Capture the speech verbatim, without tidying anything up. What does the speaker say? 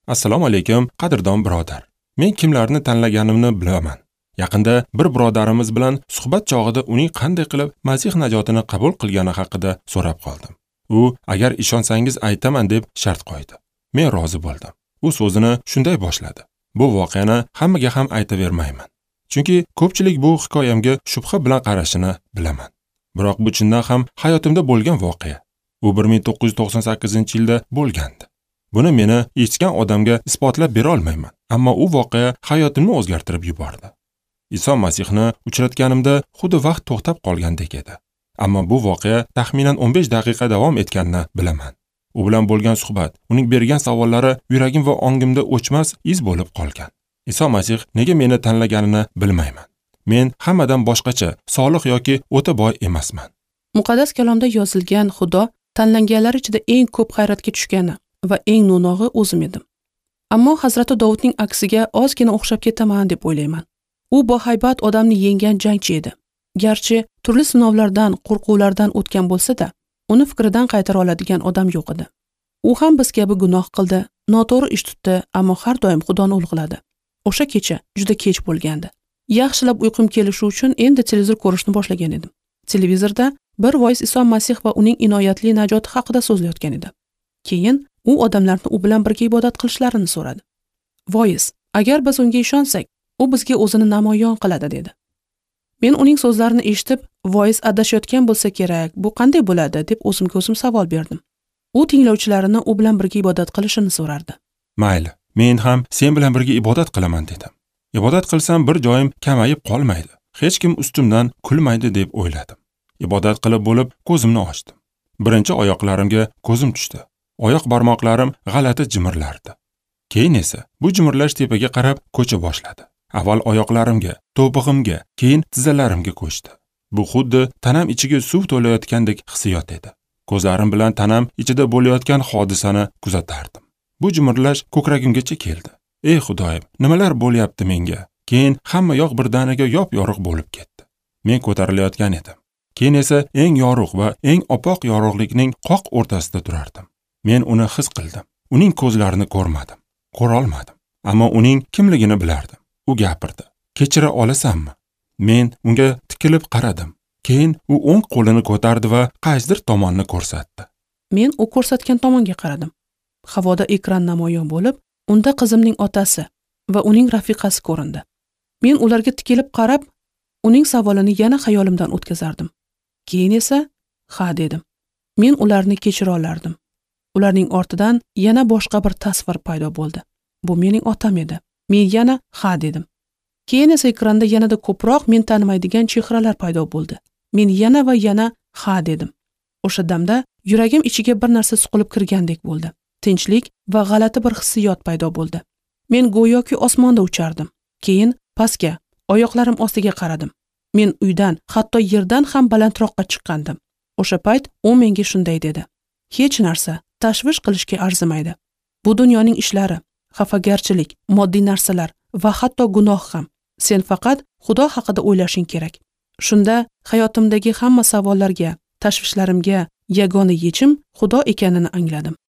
Assalomu alaykum, qadrdon birodar. Men kimlarni tanlaganimni bilaman. Yaqinda bir birodarimiz bilan suhbat chog'ida uning qanday qilib Masih najotini qabul qilgani haqida so'rab qoldim. U agar ishonsangiz aytaman deb shart qo'ydi. Men rozi bo'ldim. U so'zini shunday boshladi. Bu voqeani hammaga ham aytavermayman. Chunki ko'pchilik bu hikoyamga shubha bilan qarashini bilaman. Biroq bu chindan ham hayotimda bo'lgan voqea. U bir ming to'qqiz yuz to'qson sakkizinchi yilda bo'lgandi. Buni meni eshitgan odamga isbotlab bera olmayman, ammo u voqea hayotimni o'zgartirib yubordi. Iso Masihni uchratganimda xuddi vaqt to'xtab qolgandek edi. Ammo bu voqea taxminan o'n besh daqiqa davom etganini bilaman. U bilan bo'lgan suhbat, uning bergan savollari yuragim va ongimda o'chmas iz bo'lib qolgan. Iso Masih nega meni tanlaganini bilmayman. Men hammadan boshqacha, solih yoki o'ta boy emasman. Muqaddas kalomda yozilgan Xudo tanlanganlar ichida eng ko'p hayratga tushgani va eng no'nog'i o'zim edim. Ammo Hazrati Dovudning aksiga ozgina o'xshab ketaman deb o'ylayman. U bahaybat odamni yenggan jangchi edi. Garchi turli sinovlardan, qo'rquvlardan o'tgan bo'lsa-da, uni fikridan qaytara oladigan odam yo'q edi. U ham biz kabi gunoh qildi, noto'g'ri ish tutdi, ammo har doim Xudoni ulug'ladi. O'sha kecha juda kech bo'lgandi. Yaxshilab uyqum kelishi uchun endi televizor ko'rishni boshlagan edim. Televizorda bir voiz Iso Masih va uning inoyatli najoti haqida so'zlayotgan edi. Keyin u odamlarni u bilan birga ibodat qilishlarini so'radi. Voiz, agar biz unga ishonsak, u bizga o'zini namoyon qiladi dedi. Men uning so'zlarini eshitib, voiz adashayotgan bo'lsa kerak, bu qanday bo'ladi deb o'zimga o'zim savol berdim. U tinglovchilarini u bilan birga ibodat qilishini so'rardi. Mayli, men ham sen bilan birga ibodat qilaman dedim. Ibodat qilsam bir joyim kamayib qolmaydi. Hech kim ustimdan kulmaydi deb o'yladim. Ibodat qilib bo'lib ko'zimni ochdim. Birinchi oyoqlarimga ko'zim tushdi. Oyoq barmoqlarim g'alati jimirlardi. Keyin esa bu jimirlash tepaga qarab ko'cha boshladi. Avval oyoqlarimga, to'pig'imga, keyin tizzalarimga ko'chdi. Bu xuddi tanam ichiga suv to'layotgandek hissiyot edi. Ko'zlarim bilan tanam ichida bo'layotgan hodisani kuzatardim. Bu jimirlash ko'kragimgacha keldi. Ey Xudoyim, nimalar bo'lyapti menga? Keyin hamma yoq birdaniga yop-yorug' bo'lib ketdi. Men ko'tarilayotgan edim. Keyin esa eng yorug' va eng opoq yorug'likning qoq o'rtasida turardim. Men uni his qildim. Uning ko'zlarini ko'rmadim, ko'ra olmadim. Ammo uning kimligini bilardim. U gapirdi. Kechira olasanmi? Men unga tikilib qaradim. Keyin u o'ng qo'lini ko'tardi va qaysidir tomonni ko'rsatdi. Men u ko'rsatgan tomonga qaradim. Havoda ekran namoyon bo'lib, unda qizimning otasi va uning rafiqasi ko'rindi. Men ularga tikilib qarab, uning savolini yana xayolimdan o'tkazardim. Keyin esa ha dedim. Men ularni kechira olardim. Ularning ortidan yana boshqa bir tasvir paydo bo'ldi. Bu mening otam edi. Men yana ha dedim. Keyin esa ekranda yanada ko'proq men tanimaydigan chehralar paydo bo'ldi. Men yana va yana ha dedim. O'sha damda yuragim ichiga bir narsa suqilib kirgandek bo'ldi. Tinchlik va g'alati bir hissiyot paydo bo'ldi. Men go'yoki osmonda uchardim. Keyin pastga, oyoqlarim ostiga qaradim. Men uydan, hatto yerdan ham balandroqqa chiqqandim. O'sha payt u menga shunday dedi: Hech narsa tashvish qilishga arzimaydi. Bu dunyoning ishlari, xafagarchilik, moddiy narsalar va hatto gunoh ham. Sen faqat Xudo haqida o'ylashing kerak. Shunda hayotimdagi hamma savollarga, tashvishlarimga yagona yechim Xudo ekanini angladim.